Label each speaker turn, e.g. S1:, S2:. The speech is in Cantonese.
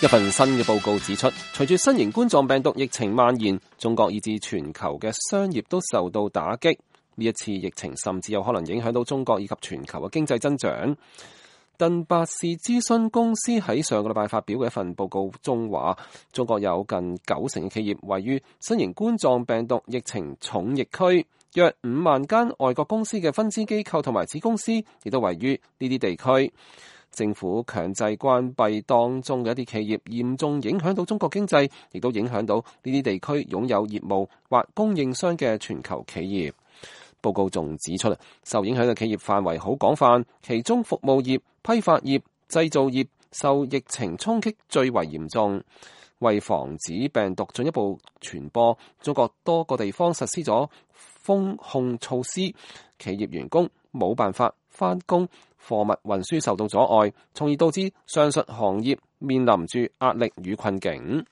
S1: 一份新嘅報告指出，隨住新型冠狀病毒疫情蔓延，中國以至全球嘅商業都受到打擊。呢一次疫情甚至有可能影響到中國以及全球嘅經濟增長。鄧伯士諮詢公司喺上個禮拜發表嘅一份報告中話，中國有近90%嘅企業位於新型冠狀病毒疫情重疫區，約5萬間外國公司嘅分支機構同埋子公司亦都位於呢啲地區。政府強制關閉當中嘅一啲企業，嚴重影響到中國經濟，亦都影響到呢啲地區擁有業務或供應商嘅全球企業。報告仲指出，受影響嘅企業範圍好廣泛，其中服務業、批發業、製造業受疫情衝擊最為嚴重。為防止病毒進一步傳播，中國多個地方實施咗封控措施，企業員工冇辦法返工，貨物運輸受到阻礙，從而導致上述行業面臨住壓力與困境。